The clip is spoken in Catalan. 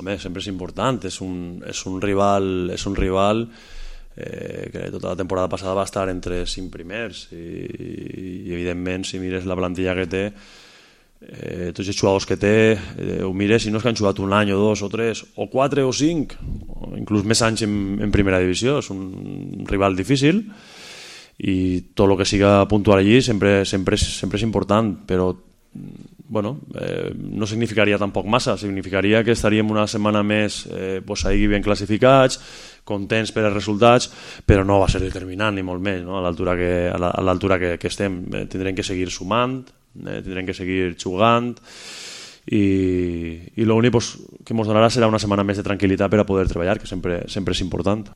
Home, sempre és important, és un rival que tota la temporada passada va estar entre 5 primers i evidentment si mires la plantilla que té, tots els jugadors que té, ho mires, si no és que han jugat un any o dos o tres o 4 o 5 o inclús més anys en primera divisió, és un rival difícil i tot el que siga puntual allí sempre és important, però bueno, no significaria tampoc massa, significaria que estaríem una setmana més ahí ben classificats, contents per els resultats, però no va ser determinant ni molt més, no? A l'altura que estem. Tindrem que seguir sumant, tindrem que seguir jugant i l'únic que ens donarà serà una setmana més de tranquil·litat per a poder treballar, que sempre és important.